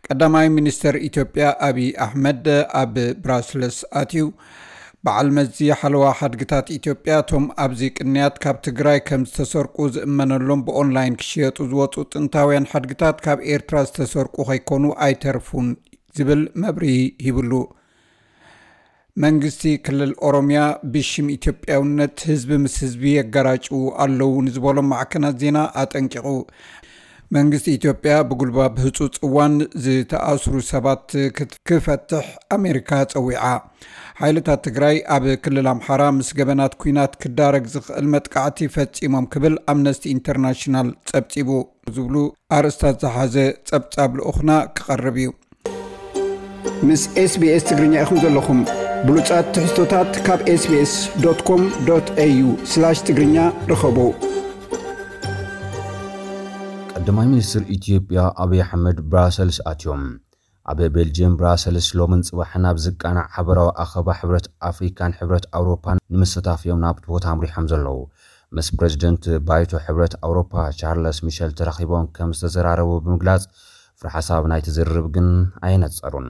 ቀዳማይ ሚኒስተር ኢትዮጵያ ኣብይ ኣሕመድ ኣብ ብራስለስ ኣትዩ። በዓል መዚ ሓለዋ ሓድግታት ኢትዮጵያ፣ እቶም ኣብዚ ቅንያት ካብ ትግራይ ከም ዝተሰርቁ ዝእመነሎም ብኦንላይን ክሽየጡ ዝወፁ ጥንታውያን ሓድግታት ካብ ኤርትራ ዝተሰርቁ ከይኮኑ ኣይተርፉን ዝብል መብርሂ ሂብሉ። መንግስቲ ክልል ኦሮሚያ ብሽም ኢትዮጵያውነት ህዝቢ ምስ ህዝቢ የጋራጭዉ ኣለዉ ንዝበሎም ማዕከናት ዜና ኣጠንቂቑ። መንግስቲ ኢትዮጵያ ብጉልባብ ህጹጽ እዋን ዝተኣስሩ ሰባት ክት-፣ ክፈትሕ ኣሜሪካ ጸዊዓ። ሓይልታት ትግራይ ኣብ ክልል ኣምሓራ ምስ ገበናት ኲናት ክዳረግ ዝኽእል መጥቃዕቲ ፈጺሞም ክብል ኣምነስቲ ኢንተርናሽናል ጸብጺቡ። ዝብሉ ኣርእስታት ዝሓዘ ጸብጻብ ልኡኽና ክቐርብ እዩ። ምስ ኤስቢኤስ ትግርኛ ኢኹም ዘለኹም። ብሉጻት ትሕዝቶታት ካብ ኤስቢኤስ ዶት ኮም ዶት ኤዩ ስላሽ ትግርኛ ርኸቡ። ቀዳማይ ሚኒስትር ኢትዮጵያ ኣብይ ኣሕመድ ብራሰልስ ኣትዮም። ኣብ ቤልጅየም ብራሰልስ ሎምን ጽባሕን ኣብ ዝቃናዕ ሓበራዊ ኣኸባ ሕብረት ኣፍሪካን ሕብረት ኣውሮፓን ንምስታፍ እዮም ናብቲ ቦታ ኣምሪሖም ዘለዉ። ምስ ፕረዚደንት ባይቶ ሕብረት ኣውሮፓ ቻርለስ ሚሸል ተራኺቦም ከም ዝተዘራረቡ ብምግላጽ፣ ፍረ ሓሳብ ናይቲ ዝርርብ ግን ኣየነጸሩን።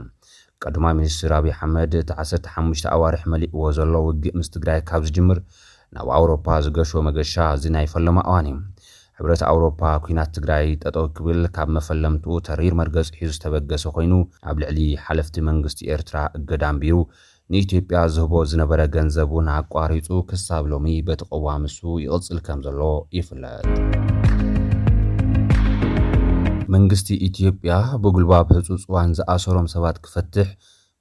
ቀዳማይ ሚኒስትር ኣብይ ኣሕመድ እቲ ዓሰርተ ሓሙሽተ ኣዋርሕ መሊእዎ ዘሎ ውግእ ምስ ትግራይ ካብ ዝጅምር ናብ ኣውሮፓ ዝገሾ መገሻ እዚ ናይ ፈለማ እዋን እዩ። ሕብረት ኣውሮፓ ኲናት ትግራይ ጠጠው ክብል ካብ መፈለምትኡ ተሪር መርገጺ ሒዙ ዝተበገሰ ኮይኑ፣ ኣብ ልዕሊ ሓለፍቲ መንግስቲ ኤርትራ እገዳ ኣንቢሩ፣ ንኢትዮጵያ ዝህቦ ዝነበረ ገንዘብ እውን ኣቋሪጹ ክሳብ ሎሚ በቲ ቅዋም እሱ ይቕጽል ከም ዘሎ ይፍለጥ። መንግስቲ ኢትዮጵያ ብጉልባብ ህጹጽ እዋን ዝኣሰሮም ሰባት ክፈትሕ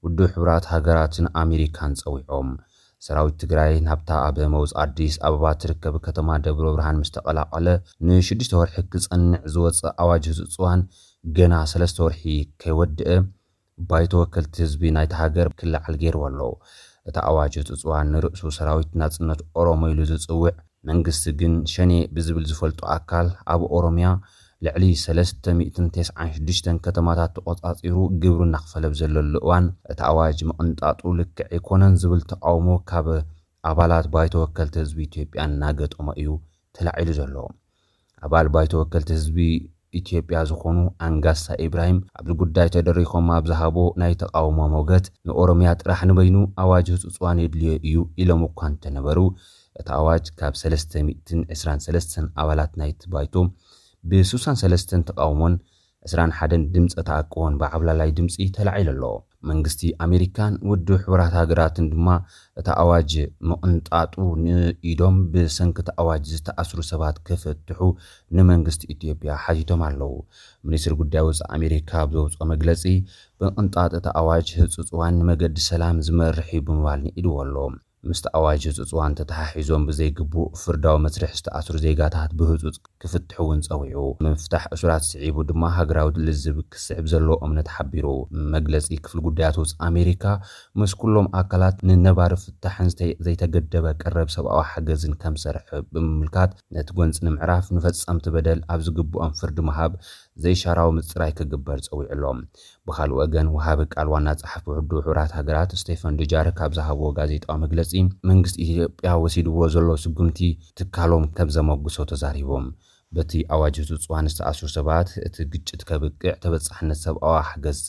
ውድብ ሕቡራት ሃገራትን ኣሜሪካን ጸዊዖም። ሰራዊት ትግራይ ናብታ ኣብ መውጽ ኣዲስ ኣበባ ትርከብ ከተማ ደብረ ብርሃን ምስ ተቐላቐለ፣ ንሽዱሽተ ወርሒ ክጸንዕ ዝወጸ ኣዋጅ ህጹጽ እዋን ገና ሰለስተ ወርሒ ከይወድአ፣ ባይቶ ወከልቲ ህዝቢ ናይታ ሃገር ክለዓል ገይርዎ ኣሎ። እቲ ኣዋጅ ህጹጽ እዋን ንርእሱ ሰራዊት ናጽነት ኦሮሞ ኢሉ ዝጽውዕ መንግስቲ ግን ሸኔ ብዝብል ዝፈልጦ ኣካል ኣብ ኦሮምያ ልዕሊ ሰለስተ ሚእትን ተስዓን ሽዱሽተን ከተማታት ተቖጻጺሩ ግብሩ እናኽፈለ ኣብ ዘለሉ እዋን፣ እቲ ኣዋጅ ምቕንጣጡ ልክዕ ኣይኮነን ዝብል ተቓውሞ ካብ ኣባላት ባይቶ ወከልቲ ህዝቢ ኢትዮጵያ እናገጠሞ እዩ ተላዒሉ ዘሎ። ኣባል ባይቶ ወከልቲ ህዝቢ ኢትዮጵያ ዝኾኑ ኣንጋሳ ኢብራሂም ኣብዚ ጉዳይ ተደሪኾም ኣብ ዝሃቦ ናይ ተቓውሞ ሞገት፣ ንኦሮምያ ጥራሕ ንበይኑ ኣዋጅ ህጹጽ እዋን የድልዮ እዩ ኢሎም እኳ እንተነበሩ፣ እቲ ኣዋጅ ካብ ሰለስተ ሚእትን ዕስራን ሰለስተን ኣባላት ናይቲ ባይቶ ብስሳን ሰለስተን ተቓውሞን ዕስራን ሓደን ድምፀ ተኣቅቦን ብዓብላላይ ድምፂ ተላዒሉ ኣሎ። መንግስቲ ኣሜሪካን ውድብ ሕቡራት ሃገራትን ድማ እቲ ኣዋጅ ምቕንጣጡ ንኢዶም ብሰንኪ እቲ ኣዋጅ ዝተኣስሩ ሰባት ክፍትሑ ንመንግስቲ ኢትዮጵያ ሓቲቶም ኣለዉ። ሚኒስትሪ ጉዳይ ወፃኢ ኣሜሪካ ኣብ ዘውፅኦ መግለፂ፣ ምቕንጣጥ እቲ ኣዋጅ ህፁፅ እዋን ንመገዲ ሰላም ዝመርሕ እዩ ብምባል ንኢድዎ ኣሎ። ምስቲ ኣዋጅ ህፁፅ እዋን ተተሓሒዞም ብዘይግቡእ ፍርዳዊ መስርሕ ዝተኣስሩ ዜጋታት ብህፁፅ ክፍትሑ እውን ፀዊዑ። ምፍታሕ እሱራት ስዒቡ ድማ ሃገራዊ ልዝብ ክስዕብ ዘለዎ እምነት ሓቢሩ። መግለፂ ክፍሊ ጉዳያት ወፃኢ ኣሜሪካ፣ ምስ ኩሎም ኣካላት ንነባሪ ፍታሕን ዝተ-፣ ዘይተገደበ ቀረብ ሰብኣዊ ሓገዝን ከም ዝሰርሕ ብምምልካት፣ ነቲ ጎንፂ ንምዕራፍ ንፈፀምቲ በደል ኣብ ዝግብኦም ፍርዲ ምሃብ ዘይሻራዊ ምፅራይ ክግበር ፀዊዑ ኣሎ። ብኻልእ ወገን፣ ወሃቢ ቃል ዋና ጸሓፊ ውድብ ሕቡራት ሃገራት ስቴፈን ዱጃሪክ ኣብ ዝሃብዎ ጋዜጣዊ መግለጺ፣ መንግስቲ ኢትዮጵያ ወሲድዎ ዘሎ ስጉምቲ ትካሎም ከም ዘመጉሶ ተዛሪቦም። በቲ ኣዋጅ ህጹጽ እዋን ዝተኣስሩ ሰባት፣ እቲ ግጭት ከብቅዕ፣ ተበጻሕነት ሰብኣዊ ሓገዝ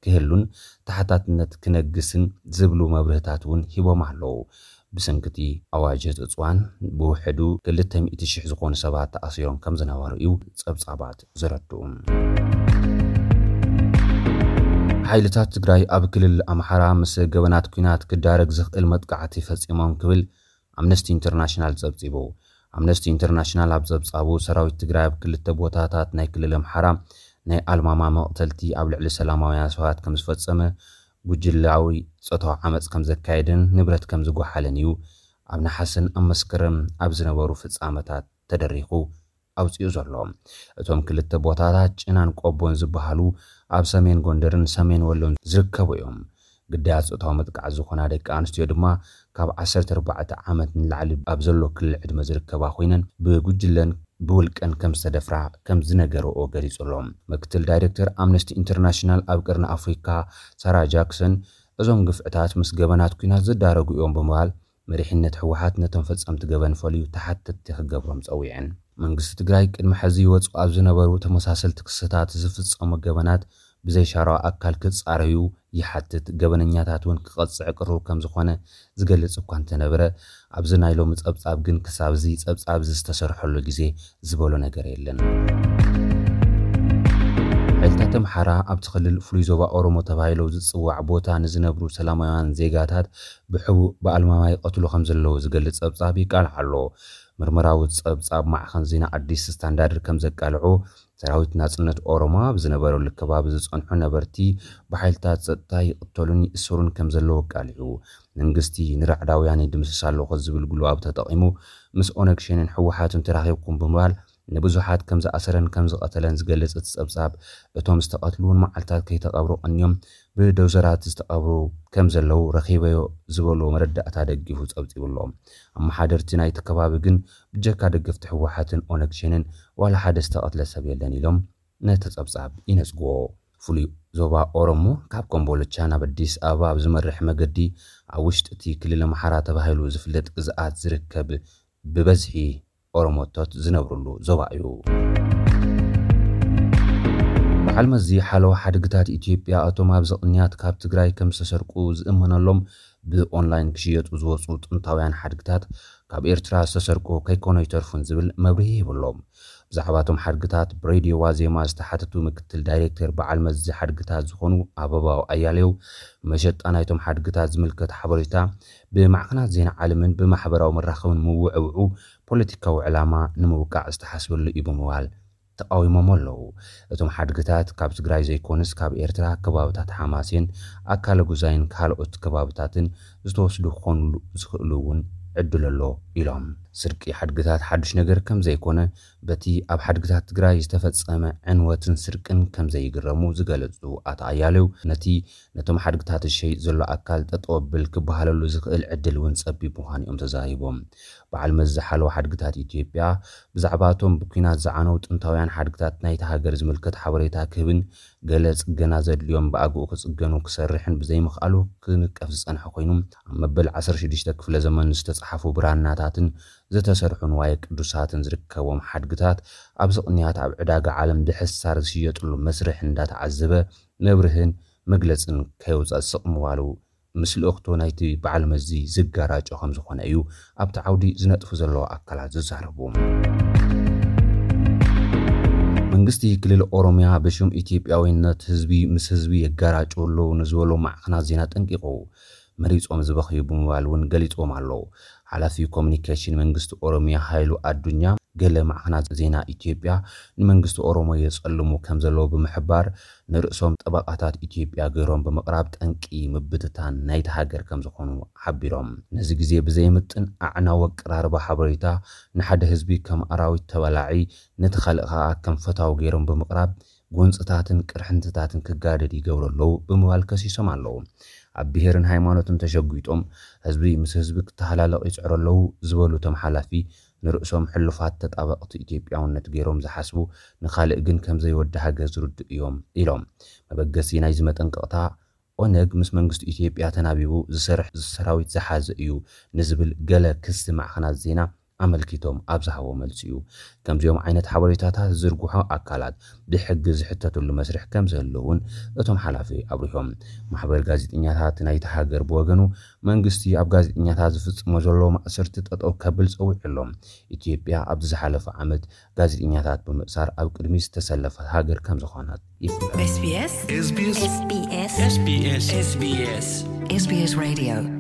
ክህሉን ተሓታትነት ክነግስን ዝብሉ መብርህታት እውን ሂቦም ኣለዉ። ብሰንኪ እቲ ኣዋጅ ህጹጽ እዋን ብውሕዱ ክልተ ሚእቲ ሽሕ ዝኾኑ ሰባት ተኣሲሮም ከም ዝነበሩ እዩ ጸብጻባት ዘረድኡ። ሓይልታት ትግራይ ኣብ ክልል ኣምሓራ ምስ ገበናት ኲናት ክዳረግ ዝኽእል መጥቃዕቲ ፈጺሞም ክብል ኣምነስቲ ኢንተርናሽናል ጸብጺቡ። ኣምነስቲ ኢንተርናሽናል ኣብ ጸብጻቡ፣ ሰራዊት ትግራይ ኣብ ክልተ ቦታታት ናይ ክልል ኣምሓራ ናይ ኣልማማ መቕተልቲ ኣብ ልዕሊ ሰላማውያን ሰባት ከም ዝፈጸመ፣ ጉጅላዊ ጾታዊ ዓመጽ ከም ዘካየደን ንብረት ከም ዝጓሓለን እዩ ኣብ ነሓሰን ኣብ መስከረም ኣብ ዝነበሩ ፍጻመታት ተደሪኹ ኣውጺኡ ዘሎ። እቶም ክልተ ቦታታት ጭናን ቆቦን ዝበሃሉ ኣብ ሰሜን ጎንደርን ሰሜን ወሎን ዝርከቡ እዮም። ግዳያት ጾታዊ መጥቃዕቲ ዝኾና ደቂ ኣንስትዮ ድማ ካብ ዓሰርተ ኣርባዕተ ዓመት ንላዕሊ ኣብ ዘሎ ክሊ ዕድመ ዝርከባ ኮይነን ብጉጅለን ብውልቀን ከም ዝተደፍራ ከም ዝነገረኦ ገሊጹ ኣሎ። ምክትል ዳይሬክተር ኣምነስቲ ኢንተርናሽናል ኣብ ቀርኒ ኣፍሪካ ሳራ ጃክሰን፣ እዞም ግፍዕታት ምስ ገበናት ኲናት ዝዳረጉ እዮም ብምባል፣ መሪሕነት ህወሓት ነቶም ፈጸምቲ ገበን ፈልዩ ተሓተትቲ ክገብሮም ጸዊዐን። መንግስቲ ትግራይ ቅድሚ ሕዚ ይወጽኡ ኣብ ዝነበሩ ተመሳሰልቲ ክስታት ዝፍጸሙ ገበናት ብዘይሻራዊ ኣካል ክጻረዩ ይሓትት። ገበነኛታት እውን ክቐጽዕ ቅሩብ ከም ዝኾነ ዝገልጽ እኳ እንተነበረ፣ ኣብዚ ናይ ሎሚ ጸብጻብ ግን ክሳብ እዚ ጸብጻብ እዚ ዝተሰርሐሉ ግዜ ዝበሎ ነገር የለን። ሓይልታት ኣምሓራ ኣብቲ ክልል ፍሉይ ዞባ ኦሮሞ ተባሂሉ ዝጽዋዕ ቦታ ንዝነብሩ ሰላማውያን ዜጋታት ብሕቡእ ብኣልማማ ይቐትሉ ከም ዘለዉ ዝገልጽ ጸብጻብ ይቃልዓ ኣሎ። ምርመራዊ ጸብጻብ ማዕኸን ዜና ኣዲስ ስታንዳርድ ከም ዘቃልዑ፣ ሰራዊት ናጽነት ኦሮሞ ኣብ ዝነበረሉ ከባቢ ዝጸንሑ ነበርቲ ብሓይልታት ጸጥታ ይቕተሉን ይእሰሩን ከም ዘለዉ ኣቃሊዑ። መንግስቲ ንራዕዳውያን ይድምስስ ኣለኹ ዝብል ጉልባብ ተጠቒሙ ምስ ኦነግ ሸኔን ህወሓትን ተራኺብኩም ብምባል ንብዙሓት ከም ዝኣሰረን ከም ዝቐተለን ዝገልጽ እቲ ጸብጻብ፣ እቶም ዝተቐትሉ እውን መዓልታት ከይተቐብሩ ቀንዮም ብዶዘራት ዝተቐብሩ ከም ዘለዉ ረኺበዮ ዝበሎ መረዳእታ ደጊፉ ጸብጺቡ ኣሎ። ኣመሓደርቲ ናይቲ ከባቢ ግን ብጀካ ደገፍቲ ህወሓትን ኦነግ ሸኔን ዋላ ሓደ ዝተቐትለ ሰብ የለን ኢሎም ነቲ ጸብጻብ ይነጽግዎ። ፍሉይ ዞባ ኦሮሞ ካብ ኮምቦልቻ ናብ ኣዲስ ኣበባ ኣብ ዝመርሕ መገዲ ኣብ ውሽጢ እቲ ክልል ኣምሓራ ተባሂሉ ዝፍለጥ ግዝኣት ዝርከብ ብበዝሒ ኦሮሞቶት ዝነብርሉ ዞባ እዩ። በዓል መዚ ሓለዋ ሓድግታት ኢትዮጵያ እቶም ኣብዚ ቅንያት ካብ ትግራይ ከም ዝተሰርቁ ዝእመነሎም ብኦንላይን ክሽየጡ ዝወፁ ጥንታውያን ሓድግታት ካብ ኤርትራ ዝተሰርቁ ከይኮኑ ይተርፉን ዝብል መብርሂ ይብሎም። ብዛዕባ እቶም ሓድግታት ብሬድዮ ዋዜማ ዝተሓተቱ ምክትል ዳይሬክተር በዓል መዚ ሓድግታት ዝኾኑ ኣበባው ኣያሌው፣ መሸጣ ናይቶም ሓድግታት ዝምልከት ሓበሬታ ብማዕከናት ዜና ዓለምን ብማሕበራዊ መራኸብን ምውዕውዑ ፖለቲካዊ ዕላማ ንምውቃዕ ዝተሓስበሉ እዩ ብምባል ተቃዊሞም ኣለዉ። እቶም ሓድግታት ካብ ትግራይ ዘይኮኑስ ካብ ኤርትራ ከባብታት ሓማሴን፣ ኣካለ ጉዛይን ካልኦት ከባብታትን ዝተወስዱ ክኾኑሉ ዝኽእሉ እውን ዕድል ኣሎ ኢሎም። ስርቂ ሓድግታት ሓዱሽ ነገር ከም ዘይኮነ በቲ ኣብ ሓድግታት ትግራይ ዝተፈጸመ ዕንወትን ስርቅን ከም ዘይግረሙ ዝገለጹ ኣቶ ኣያሌው ነቲ ነቶም ሓድግታት ዝሸይጥ ዘሎ ኣካል ጠጠው ኣብል ክበሃለሉ ዝኽእል ዕድል እውን ጸቢብ ምዃኑ እዮም ተዛሪቦም። በዓል መዚ ሓለዋ ሓድግታት ኢትዮጵያ ብዛዕባ እቶም ብኲናት ዝዓነው ጥንታውያን ሓድግታት ናይቲ ሃገር ዝምልከት ሓበሬታ ክህብን ገለ ጽገና ዘድልዮም ብኣግኡ ክጽገኑ ክሰርሕን ብዘይምኽኣሉ ክንቀፍ ዝጸንሐ ኮይኑ፣ ኣብ መበል ዓሰርተ ሽዱሽተ ክፍለ ዘመን ዝተጻሕፉ ብራናታትን ዝተሰርሑ ንዋየ ቅዱሳትን ዝርከቦም ሓድግታት ኣብዚ ቅንያት ኣብ ዕዳጋ ዓለም ብሕሳር ዝሽየጥሉ መስርሕ እንዳተዓዘበ መብርህን መግለጽን ከየውፅእ ስቕ ምባሉ ምስ ልእኽቶ ናይቲ በዓል መዚ ዝጋራጮ ከም ዝኾነ እዩ ኣብቲ ዓውዲ ዝነጥፉ ዘለዉ ኣካላት ዝዛረቡ። መንግስቲ ክልል ኦሮሚያ ብሽም ኢትዮጵያዊነት ህዝቢ ምስ ህዝቢ የጋራጩ ኣለዉ ንዝበሉ ማዕኸናት ዜና ጠንቂቑ። መሪጾም ዝበኽዩ ብምባል እውን ገሊጾም ኣለዉ። ሓላፊ ኮሚኒኬሽን መንግስቲ ኦሮሚያ ሃይሉ ኣዱኛ ገለ ማዕኸናት ዜና ኢትዮጵያ ንመንግስቲ ኦሮሞ የጸልሙ ከም ዘለዉ ብምሕባር፣ ንርእሶም ጠበቓታት ኢትዮጵያ ገይሮም ብምቕራብ ጠንቂ ምብትታን ናይቲ ሃገር ከም ዝኾኑ ሓቢሮም። ነዚ ግዜ ብዘየምጥን ኣዕናዊ ኣቀራርባ ሓበሬታ ንሓደ ህዝቢ ከም ኣራዊት ተበላዒ፣ ነቲ ካልእ ከኣ ከም ፈታዊ ገይሮም ብምቕራብ ጎንጽታትን ቅርሕንትታትን ክጋደድ ይገብሩ ኣለዉ ብምባል ከሲሶም ኣለዉ። ኣብ ብሄርን ሃይማኖትን ተሸጒጦም ህዝቢ ምስ ህዝቢ ክተሃላለቕ ይጽዕሩ ኣለዉ ዝበሉ እቶም ሓላፊ፣ ንርእሶም ሕሉፋት ተጣበቕቲ ኢትዮጵያውነት ገይሮም ዝሓስቡ፣ ንኻልእ ግን ከም ዘይወዲ ሃገር ዝርድኡ እዮም ኢሎም። መበገሲ ናይዚ መጠንቀቕታ ኦነግ ምስ መንግስቲ ኢትዮጵያ ተናቢቡ ዝሰርሕ ሰራዊት ዝሓዘ እዩ ንዝብል ገለ ክሲ ማዕኸናት ዜና ኣመልኪቶም ኣብ ዝሃቦ መልሲ እዩ። ከምዚኦም ዓይነት ሓበሬታታት ዝዝርግሑ ኣካላት ብሕጊ ዝሕተትሉ መስርሕ ከም ዘህሉ እውን እቶም ሓላፊ ኣብሪሆም። ማሕበር ጋዜጠኛታት ናይቲ ሃገር ብወገኑ መንግስቲ ኣብ ጋዜጠኛታት ዝፍጽሞ ዘሎ ማእሰርቲ ጠጠው ከብል ጸዊዑ ኣሎ። ኢትዮጵያ ኣብዚ ዝሓለፈ ዓመት ጋዜጠኛታት ብምእሳር ኣብ ቅድሚት ዝተሰለፈት ሃገር ከም ዝኾነት ይፍለጥ። SBS SBS SBS SBS SBS Radio